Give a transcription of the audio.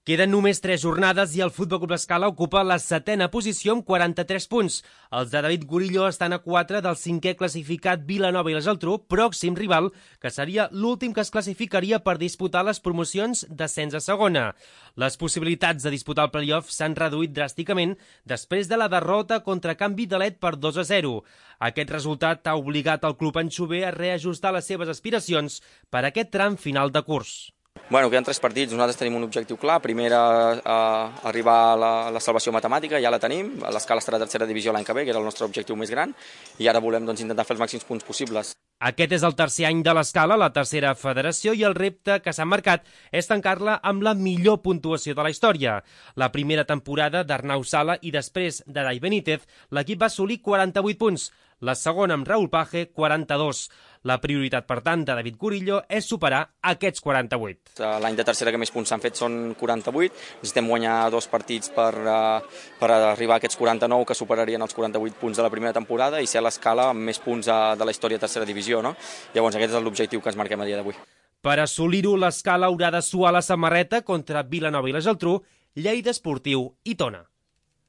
Queden només 3 jornades i el Futbol Club Escala ocupa la 7ª posició amb 43 punts. Els de David Gurillo estan a 4 del 5è classificat Vilanova i la Geltrú, pròxim rival, que seria l'últim que es classificaria per disputar les promocions d'ascens a segona. Les possibilitats de disputar el playoff s'han reduït dràsticament després de la derrota contra Can Vitalet per 2-0. Aquest resultat ha obligat el club anxover a reajustar les seves aspiracions per a aquest tram final de curs. Queden 3 partits, nosaltres tenim un objectiu clar. Primer, arribar a la salvació matemàtica, ja la tenim. L'Escala estarà a tercera divisió l'any que ve, que era el nostre objectiu més gran, i ara volem intentar fer els màxims punts possibles. Aquest és el tercer any de l'Escala, la tercera federació, i el repte que s'ha marcat és tancar-la amb la millor puntuació de la història. La primera temporada d'Arnau Sala i després de Dai Benítez, l'equip va assolir 48 punts, la segona amb Raúl Page, 42. La prioritat, per tant, de David Gurillo és superar aquests 48. L'any de tercera que més punts s'han fet són 48. Necessitem guanyar 2 partits per arribar a aquests 49 que superarien els 48 punts de la primera temporada i ser a l'Escala amb més punts de la història de tercera divisió, no? Llavors aquest és l'objectiu que ens marquem a dia d'avui. Per assolir-ho, l'Escala haurà de suar la samarreta contra Vilanova i la Geltrú, Lleida Esportiu i Tona.